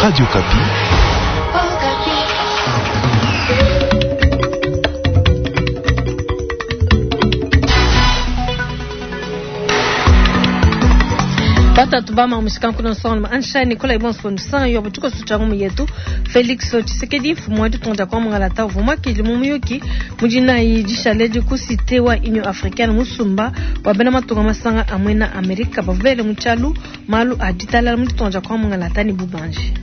Radio Okapi. Batatu bama mushikankuno nsonga ansha Nicolas Ibons Fondusan yo butuko sucha mu yetu Felix Tshisekedi mfumu wa ditunga kwa mungalata uvuma kili mu muyuki mujina dishale di ku cité wa Union Africaine musumba wa bena matunga masanga amwe na Amerika bavele muchalu malu a ditalala mu ditunga kwa mungalata ni bubanji.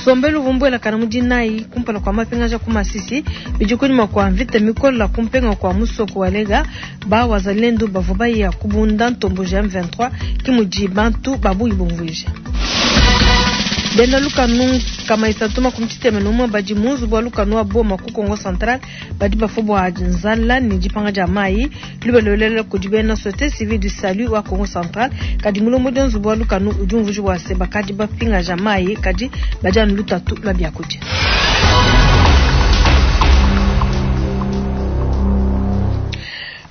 Sombelu vumbuela kana mudinayi kumpala kwa mapingaja ku Masisi bidi kunyima kwa mvita mikola kumpenga kwa musoko walega ba wazalendo bavua baya kubunda ntombo ja M23 kimudi bantu babuyi bumvuija. Bena lukanu kama isatuma kumtiteme numwe badi munzu bwa lukanu wa boma ku Kongo Central badi bafua bua nzala ni dipanga dia mayi lubelelele kudi bena société civile du salut wa Kongo Central kadi mulombodi wa nzubu wa lukanu udi umvuija bua se bakadi bapingaja mayi kadi badi anu lutatu lua biakudia.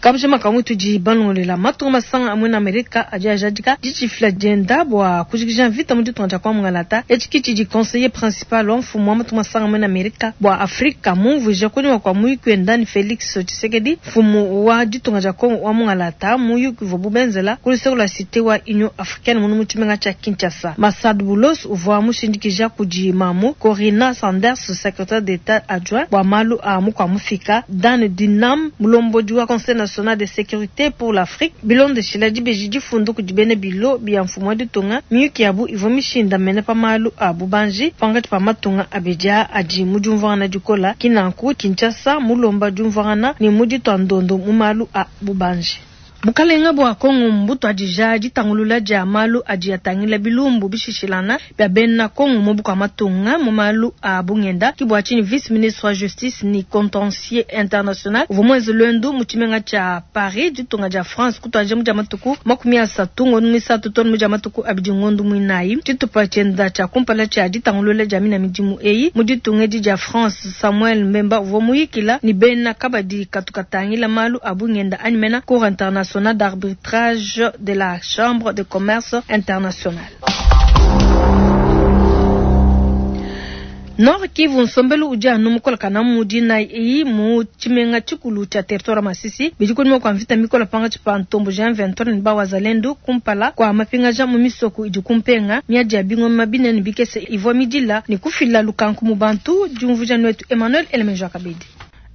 Kabujima kamwe tudi balongolela matunga masanga amwe na Amerika adi ajadika ditshifila dienda bua kujikija mvita mu ditunga dia kwa mungalata etshi ki tshidi conseiller principal wa mfumu wa matunga masanga amwe na Amerika bua Afrika mumvuija kunyima kua muyuki wenda ni Felix Tshisekedi mfumu wa ditunga dia Kongo wa mungalata muyuki uvua bubenzela ku luseke lua cité wa Union Africaine munu mu tshimenga tshia Kinshasa. Massad Boulos uvua mushindikija kudi mamu Corina Sanders secrétaire d'État adjoint bua malu a mukua mufika Dan Dinam mulombodi wa conseil national de sécurité pour l'Afrique bilondeshila dibeji difundu kudi bena bilo bia mfumu wa ditunga miyuki yabu ivua mishindamene pa malu a bubanji pankatshi pa matunga abidi adi mu diumvuangana dikola kinanku Kinshasa mulomba diumvuangana ne mu ditua ndondo mu malu a bubanji. Bukalenga bua Kongo mbutuadija ditangulula dia malu adi atangila bilumbu bishishilana bia bena Kongo mu bukua matunga mu malu a bungenda ki bua tshinyi vice ministre wa justice ni contentieux international uvua muenze luendu mu tshimenga tshia Paris ditunga dia France kutuadija mu dia matuku 30 ngondo muisatu too ne mu dia matuku 2 ngondo muinayi. Tshitupa tshienda tshia kumpala tshia ditangulula dia mina midimu eyi mu ditunga edi dia France Samuel Mbemba uvua muyikila ni bena kabadi katu katangila malu a bungenda anyi mena Cour internationale d'arbitrage de la Chambre de commerce internationale. Nord Kivu nsombelu udi anu mukolakana mu dinayi eyi mu tshimenga tshikulu tshia territoire Masisi bidi kunyima kua mvita mikola pankatshi pa ntombo ja M23 ne ba wazalendo kumpala kua mapingaja mu misoko idi kumpenga miadi ya bingoma binene bikese ivua midila ne kufila lukanku mu bantu. Diumvuija nuetu Emmanuel Elemenjo Kabedi.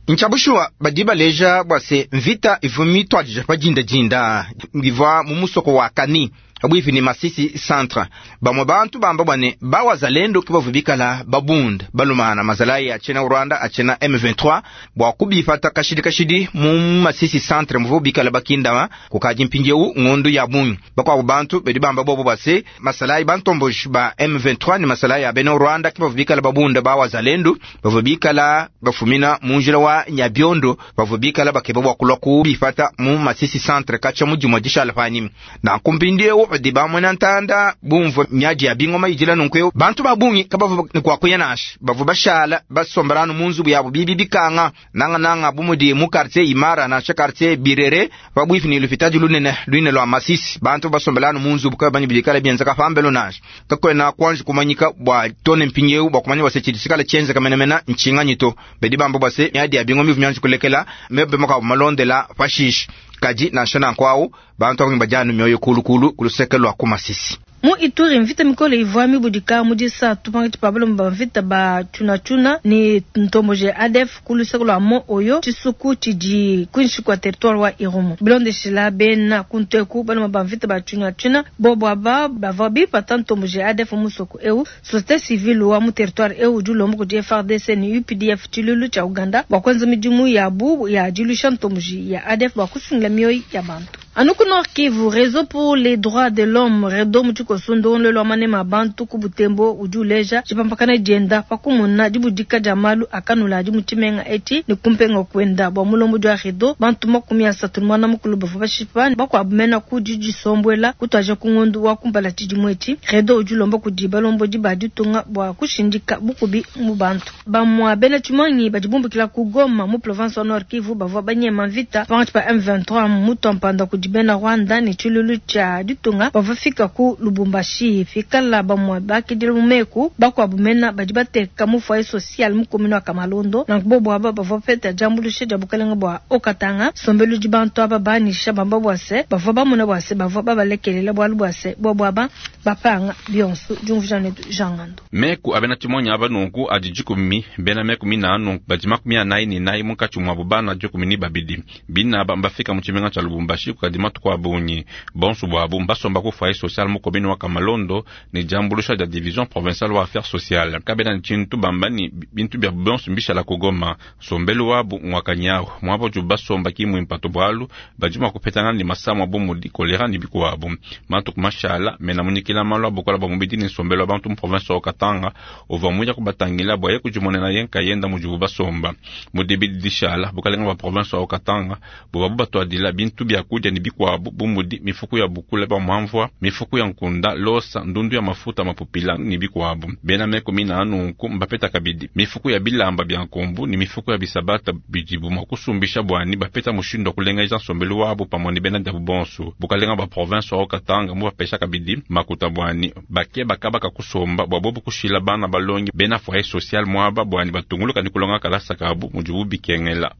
Nchabushuwa badi baleja bua se mvita ivua mituadija pa dindadinda ivua mu musoko wa Kani pabuipi ni Masisi centre. Bamwe bantu bamba bwane bawazalendo ke bavua bikala babunda balumana mazalayi achena Rwanda achena M23 bua kubipata kashidi kashidi mu Masisi centre muvua bikala bakindama kukaji mpindieu ngondu ya bungi. Bakuabu bantu badi bamba bobo base masalayi bantomboji ba M23 ni masalayi ya bena Rwanda ke bavua bikala babunda bawazalendo bavua bikala bafumina mu njila wa Nyabiondo bavua bikala bakeba bua kulua kubipata mu Masisi centre kacha mujimwa dishala panyima na kumpindieu badi bamwena ntanda bumvua miadi ya bingoma idila nunkueu bantu babungi kabavua ni kuakuya nasha bavua bashala basombalanu mu nzubu yabo bibi bikanga nangananga bumudi mu quartier Imara nansha quartier Birere pabuipi ni lupitadi lunene luine lua Masisi bantu basombalanu mu nzubu kabanyi bidikala bienzeka pambelo nasha kakwena kuanji kumanyika bua tone mpindieu bua kumanya bua se tshidi tshikala tshienzeka menemene ntshinganyi to badi bamba bua se miadi ya bingoma ivu mianji kulekela mebe makabu malondela pashishe kadi nansha nanku bantu abangi badianu mioyo kulukulu kuluseke lua ku Masisi. Mu Ituri mvita mikole ivua mibudika mu disatu pankatshi pa balomba ba mvita ba tshunatshuna ne ntomboji ya ADF ku luseke lua Mont Oyo tshisuku tshidi kuinshi kua territoire wa Irumu. Bilondeshila bena kunteku balomba ba mvita ba tshunatshuna bobo aba bavua bipata ntomboji ya ADF musoko eu. Société civile wa mu territoire eu udi ulomba kudi FARDC ne UPDF tshilulu tshia Uganda bua kuenza midimu yabu ya diluisha ntomboji ya ADF bua kusungila mioyo ya bantu. Anu ku Nord Kivu, Réseau pour les droits de l'homme REDO mu tshikoso ndongoluelu wa manema bantu ku Butembo udi uleja tshipampakana dienda pa kumona dibudika dia malu akanula adi mu tshimenga etshi ne kumpenga kuenda bua mulombodi wa REDO bantu 31 bavua bashipa bakuabu mena ku didisombuela kutuaja ku ngondu wa kumpala tshidimu etshi. REDO udi ulomba kudi balombodi ba ditunga bua kushindika bukubi mu bantu. Bamua bena tshimangi badi bumbukila ku Goma mu province wa Nord Kivu bavua banyema mvita pankatshi pa M23 mutu mpanda kudi kudi bena Rwanda ne tshiluilu tshia ditunga bavua bafika ku Lubumbashi. Pikala bamue bakidila mu meku, bakuabu mena badi bateka mu foyer social mu commune wa Kamalondo. Nanku bobu aba bavua bapeta diambuluisha dia bukalenga bua Haut-Katanga. Nsombelu udi bantu aba banyisha bamba bua se bavua bamona bua se bavua babalekelela bualu bua se bobu aba bapanga bionso. Diumvuija netu Jean Ngandu. Meku a bena tshimonyi aba nunku adi dikumi, bena meku minanu badi 44 munkatshi muabu bana 12. Bine aba mbafika mu tshimenga tshia Lubumbashi kukadi matuku a bungi. Bonso buabu mbasomba ku foyer social mu commune wa Kamalondo ne diambuluisha dia division provinciale wa affaires sociales. Kabena ne tshintu bamba ne bintu biabu bionso mbishala ku Goma. Nsombelu wabu ngua kanyawu, muaba udibu basomba ki mmuimpe to bualu badi mua kupetangana ne masama bu mudi kolera ne bikuabu. Matuku mashala, mena munyikila malu a bukola bua mubidi ne nsombelu wa bantu mu province wa Haut-Katanga uvua muya kubatangila bua ye kudimonena ye nkayenda mudibu basomba. Mu dibidi dishala, bukalenga bua province wa Haut-Katanga buvua bubatuadila bintu bia kudia ne bikuabu bu mudi mifuku ya bukula bua muamvua, mifuku ya nkunda, losa, ndundu ya mafuta mapupila ne bikuabu. Bena meku mina a nunku mbapeta kabidi mifuku ya bilamba bia nkombu ne mifuku ya bisabata bidibu mua kusumbisha bua ne bapeta mushindu wa kulengeja nsombelu wabu pamue ne bena diabu bonso. Bukalenga bua province wa Haut-Katanga mubapesha kabidi makuta bua ne bakeba kaba ka kusomba bua bobu kushila bana balongi bena foyer social muaba bua ne batunguluka ne kulonga kalasa kabu mudibu bikengela.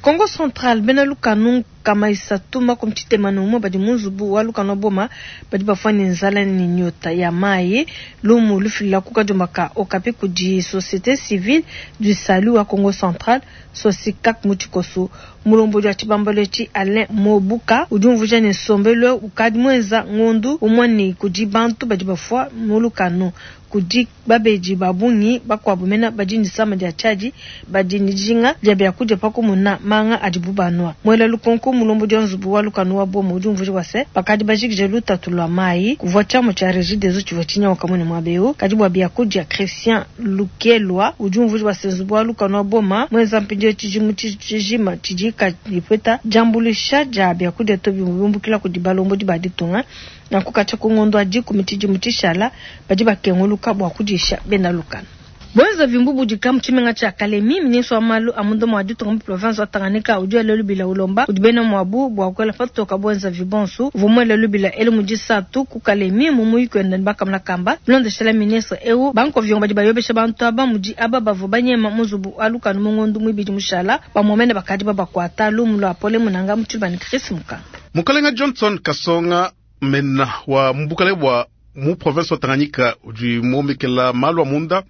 Kongo Central, bena lukanu 361 badi mu nzubu wa lukanu wa Boma badi bafua ne nzala ne nyota ya mayi. Lumu lufila ku kadiomba ka Okapi kudi Société Civile du Salut wa Kongo Central, Sosikak mu tshikoso. Mulombodi wa tshibambalu etshi Alain Mobuka udi umvuija ne nsombelu eu ukadi muenza ngondu umue ne kudi bantu badi bafua mu lukanu. Kudi babedi ba bungi bakuabu mena badi ne disama dia tshiadi badi ne dijinga dia biakudia pa kumona manga adibu banua. Muela lukonko mulombodi wa nzubu wa lukanu wa Boma udi umvuija bua se bakadi bajikije lutatu lua mayi. Kuvua tshiamu tshia Regideso tshivua tshinyanguka muine muaba eu. Kadi bua biakudia, Christian Lukelwa udi umvuija bua se nzubu wa lukanu wa Boma muenza mpindieu tshidimu tshijima tshidi kayi upeta diambuluisha dia biakudia to biumbukila kudi balombodi ba ditunga. Nanku katshia ku ngondo wa 10 tshidimu tshishala badi bakenguluka bua kudisha bena lukanu. Buenzavi mbubudika mu tshimenga tshia Kalemi. Ministre wa malu a munda mua ditunga mu province wa Tanganyika udi wela lubila ulomba kudi bena muabu bua kuela patoka buenzavi bonso. Uvua muele lubila elu mu disatu ku Kalemi mu muyuki wenda ne bakamona kamba. Bilondeshela ministre eu, bankoviongo badi bayobesha bantu aba mudi aba bavua banyema mu nzubu wa lukanu mu ngondo muibidi mushala. Bamue mene bakadi babakuata. Lumu lua Pole Munanga mu tshiluba ne Chris Mukanda. Mukalenga Johnson Kasonga mena wa mu bua mu province wa Tanganyika udi muomekela malu a munda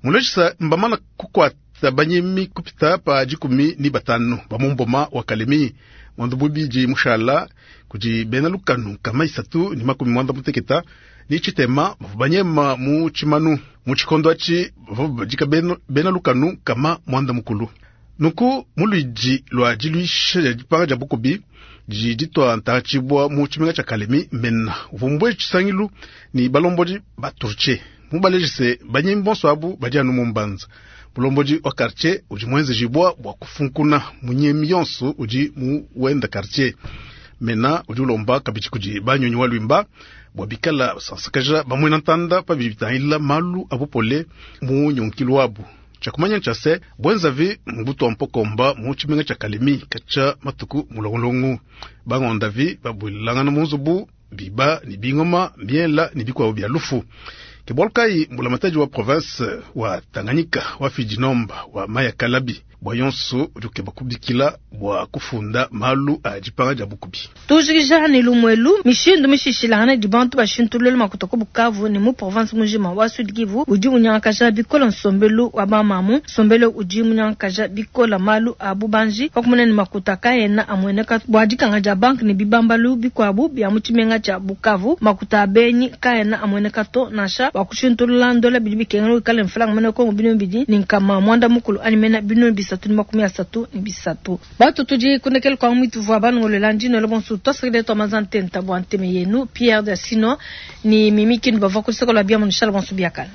mulejisa mbamana kukuata banyemi kupita pa 15 ba mu mboma wa Kalemi ngondo bubidi mushala kudi bena lukanu 363 bavua banyema mu tshimanu mu tshikondo atshi bavua badika bena lukanu 90. Nuku muluidi lua diluisha dia dipanga dia bukubi didi ditua ntaratshibua mu tshimenga tshia Kalemi mena uvua mbuele tshisangilu ne balombodi ba Turtie mubalejise banyemi bonso abu badi anu mu mbanza. Mulombodi wa quartier udi muenzejibua bua kufunkuna munyemi yonso udi mu wenda quartier. Mena udi ulomba kabidi kudi banyonyi wa lwimba bua bikala basansakaja bamuena ntanda pa bidi bitangila malu a bupole mu nyonkilu wabu. Tshiakumanya tshia se bwenzavi mbutu wa mpokomba mu tshimenga tshia Kalemi katshia matuku mulongolongo. Bangondavi babwelelangana mu nzubu biba ne bingoma miela ne bikuabu bia lufu. Ke bualu kayi mbulamatadi wa province wa Tanganyika wa Fidinomba wa Maya Kalabi bua yonso udi ukeba kubikila bua kufunda malu a dipanga dia bukubi. Tujikija ne lumuelu mishindu mishishilangane idi bantu bashintulule makuta ku Bukavu ne mu province mujima wa Sud Kivu udi unyangakaja bikole nsombelu wa bamamu. Nsombelu udi munyangakaja bikole malu a bubanji pa kumona ne makuta kaena amueneka bua dikanga dia banque ne bibambalu bikuabu bia mu tshimenga tshia Bukavu. Makuta a benyi kaena amueneka to nansha bua kushintulula ndola bidi bikengela wikale mfranga mene Kongo 890 anyi mena 333. Batu tudi kundekela kwa mwitu vua banongolela ndino bonso twasakile twa mazantenta bua nteme yenu Pierre Dasino ni Mimi Kindu bavua ku luseke lua bia mu bonso biakana.